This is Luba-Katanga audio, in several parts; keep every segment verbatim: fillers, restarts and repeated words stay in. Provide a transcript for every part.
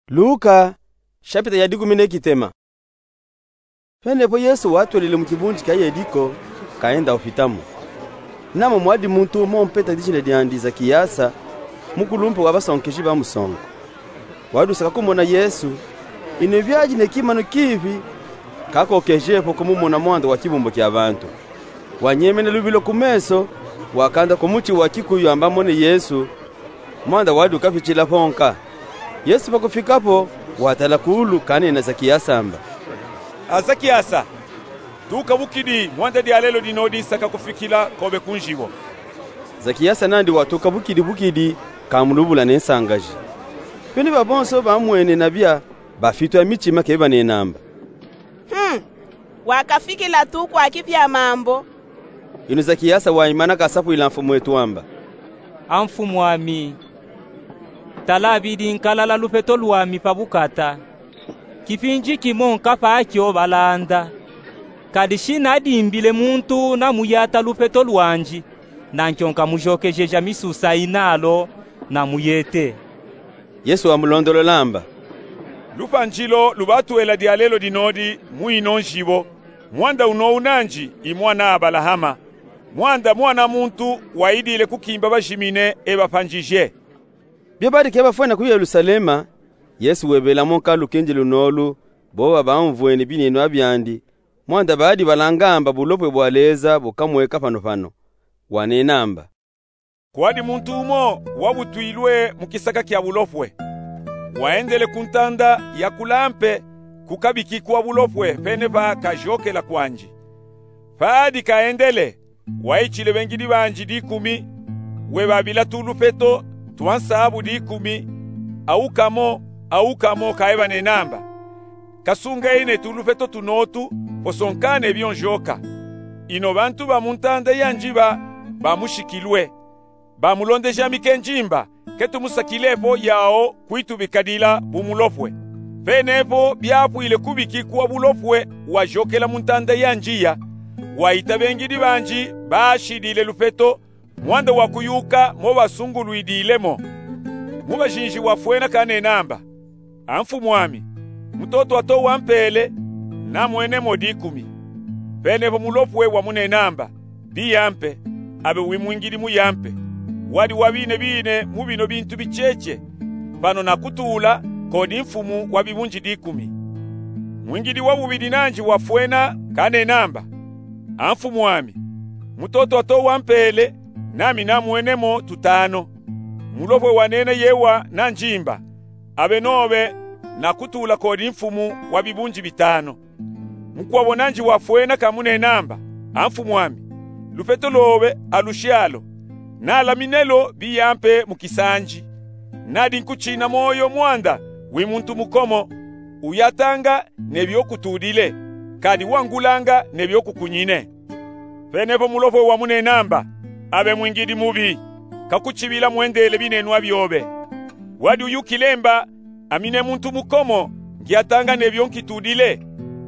Luka, shapita ya dikumi ne kitema. Penepo Yesu watwelele mu kibunji kia Yeliko, kaenda opitamo. Namo mwadi muntu umo mpeta dijina diandi Zakiasa, mukulumpe wa basonkeji ba musonko. Wadi usaka kumona Yesu, ino biadi ne kimanu kibi, kakokejepo kumumona mwanda wa kibumbu kia bantu. Wanyemene lubilo ku meso, wakanda ku muti wa kikuyu amba amone Yesu, mwanda wadi ukapitila ponka. Yesu pakufikapo, watala kuulu kanena Zakiasa amba: A Zakiasa, tukabukidi, mwanda dialelo dinodi nsaka kufikila kobe ku nzibo. Zakiasa nandi watukabukidi bukidi, kamulubula ne nsangaji. Pene babonso bamwene nabia, bafitwa mitima ke banena amba: Hmm, wakafikila tu kwa kibia mambu. Ino Zakiasa waimana kasapwila mfumwetu amba: A mfumuami, tala bidi nkalala lupeto lwami pa bukata. Kipindi kimo nkapa kio balanda. Kadi shi nadimbile muntu namuyata lupeto lwandi, nankyo nkamujokejeja misusa inalo namuyete. Yesu wamulondolola amba: Lupanzi lo lubatwela dialelo dinodi mu ino nzibo, mwanda unowu nandi i mwana Abalahama. Mwanda Mwana muntu waidile kukimba bajimine e bapanzije. Bio badi ke bafwena ku Yelusalema, Yesu webelamo nka lukindi lunolu, boba bamvwene binenwa biandi, mwanda badi balanga amba bulopwe bwa Leza bukamweka panopano. Wanena amba: Kwadi muntu umo wabutwilwe mu kisaka kia bulopwe. Waendele ku ntanda ya kula mpe ku kabiki kwa bulopwe pene pa kajokela kwandi. Padi kaendele, waitile bengidi bandi dikumi, webabila tulupeto twa nsabu dikumi, awu kamo, awu kamo, kaebanena amba: Kasungeni ne tulupeto tunotu, posonkane bio njoka. Ino bantu ba mu ntanda ya nziba bamushikilwe. Bamulondeja ami kenzi mba, ke tumusakilepo yao kwitubikadila bu mulopwe. Penepo biapwile kubiki kwa bulopwe wajokela mu ntanda ya nziya, waita bengidi bandi bashidile lupeto, mwanda wa kuyuka mo basungulwidile mo. Mu bajinji wafwena kanena amba: A mfumuami, mutoto wa to wampele, namwene mo dikumi. Penepo mulopwe wamunena amba: Biyampe, abe wimwingidi muyampe. Wadi wabinebine mu bino bintu bicheche, pano nakutula kodi mfumu wa bibunji dikumi. Mwingidi wa bubidi nandi wafwena kanena amba: A mfumuami, mutoto wa to wampele, nami namwene mo tutano. Mulopwe wanena yewa nanzi mba: Abe nobe, nakutula kodi mfumu wa bibunji bitano. Mukwabo nandi wafwena kamunena amba: A mfumuami, lupeto lobe alushalo, nalamine lo biyampe mu kisanji. Nadi nkutina moyo mwanda wi muntu mukomo, uyatanga ne bio kutudile, kadi wangulanga ne bio kukunyine. Penepo mulopwe wamunena amba: Abe mwingidi mubi, kakutibila mwendele binenwa biobe. Wadi uyukile mba: Ami ne muntu mukomo, ngiyatanga ne bio nkitudile,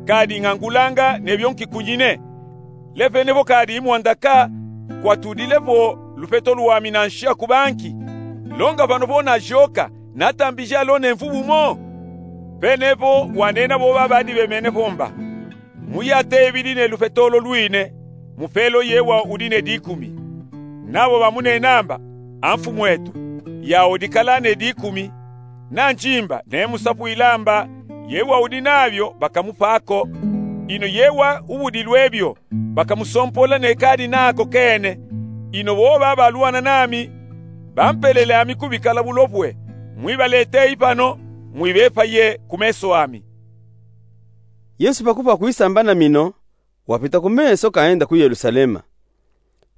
kadi ngangulanga ne bio nkikunyine. Le penepo kadi mwanda ka kwatudilepo lupeto lwami nansha ku banki, longa pano po najoka, natambija lo ne mvubu mo? Penepo wanena boba badi bemene po mba: Muyate bidi ne lupeto lo lwine, mupelo yewa udi ne dikumi. Nabo bamunena amba: A mfumwetu, yao dikala ne dikumi. Nanzi mba nemusapwila mba: Yewa udi nabio, bakamupa ko. Ino yewa ubudilwe bio, bakamusompola ne kadi nako kene. Ino boba balwana nami, bampelele ami kubikala bulopwe, mwibalete ipano, mwibepaye ku meso ami. Yesu pakufwa kwisamba na mino, wapita ku meso kaenda ku Yelusalema.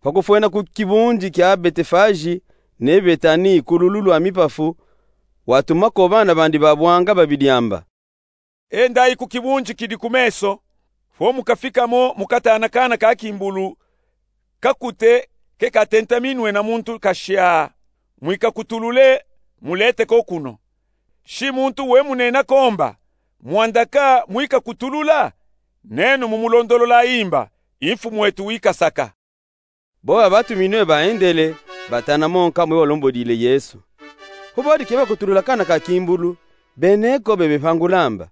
Pakufwena ku kibunji kia Betefaji ne Betani ku lulu lwa mipafu, watumako bana bandi babwanga babidi amba: Endayi ku kibunji kidi ku meso, fo mukafikamo mukatana kana ka kimbulu kakute ke katentaminwe na muntu kashia. Mwikakutulule, mulete ko kuno. Shi muntu we munena ko mba: Mwanda ka mwikakutulula? Nenu mumulondolola imba: I mfumwetu wikasaka. Boba batuminwe baendele, batana mo nka mwe walombodile Yesu. Fo badi ke bakutulula kana ka kimbulu, Bene ko bebepangula amba: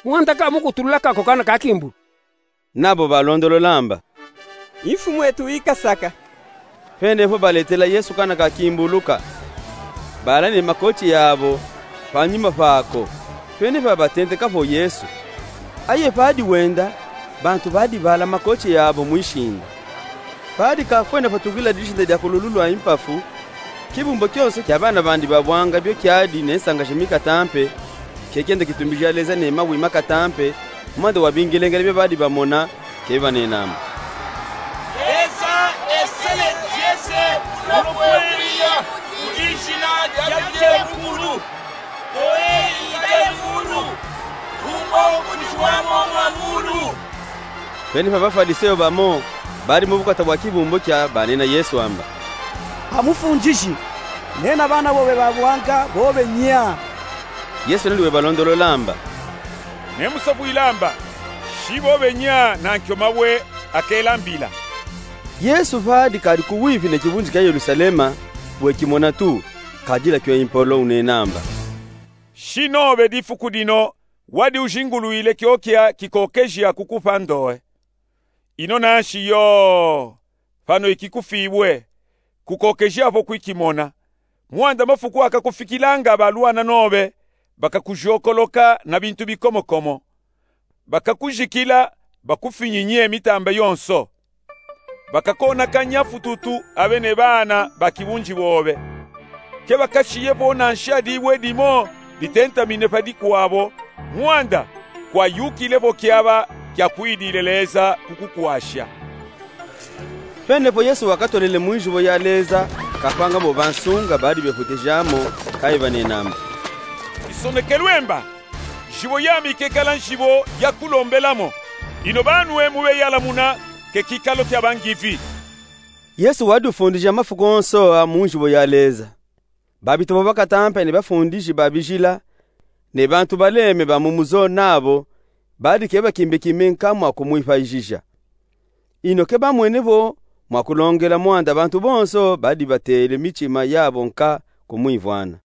Mwanda ka mukutulula kako kana ka kimbulu. Nabo balondolola amba: I Mfumu etu ikasaka. Fwene fo baletela Yesu kana ka kimbulu ka. Bala ne makoti yabo panyuma fako, fwene fo batenteka fo Yesu. Aye padi wenda, bantu badi bala makoti yabo mwishinda. Padi kafwene fo tukila dishinda dia ku lulu lwa mpafu, kibumbu kionso kia bana bandi ba bwanga bio kiadi ne nsanga ja mikata mpe, ke kienda kitumbija leza ne mawi makata mpe, mwanda wa bingelengele bio badi bamona, ke banena amba: Leza esele diese kulokwelia ku dijina dia Mukulu. Toyi ikale mulu, kumbo kudi wamo mwa mulu. Fwene fo Bafwadiseyo bamo badi mu bukota bwa kibumbu kia banena Yesu amba: A Mufundiji, nena bana bobe ba bwanga bobe nya. Yesu nandi webalondolola amba: Nemusapwila amba, shi bobe nya nankio mawe akela mbila. Yesu padi kadi kuwipi ne kibunji kia Yelusalema, wekimona tu, kadila kio impolo unena amba: Shi nobe difuku dino wadi ujingulwile kiokia kikokeji akukupa ndowe. Ino nanshi yo, pano ikikufibwe, kukokeja po kwikimona. Mwanda mafuku akakufikilanga balwana nobe, bakakujokoloka na bintu bikomokomo. Bakakujikila, bakufinyinye mitamba yonso. Bakakonakanya fututu abe ne bana ba kibunji bobe. Ke bakashiye po nanshadi dibwe dimo ditentamine padi kwabo, mwanda kwayukile po kiaba kiakwidile Leza kukukwasha. Fwene fo Yesu wakatolele mu njibo ya Leza, kapanga bo bansunga badi befwetejamo, kayi banena amba: Isonekelwe amba, njibo yami kekala njibo ya kulombelamo. Ino banwe mubeyalamuna ke kikalo kia bangivi. Yesu wadi ufundija mafuku onso a mu njibo ya Leza. Babitobo bakatampe ne bafundiji ba bijila, ne bantu baleme ba mu muzo nabo, badi ke bakimbekimbi nka mwa kumwipayijija. Ino ke bamwene vo mwa kulongela mwanda bantu bonso badi batele mitima yabo nka kumwivwana.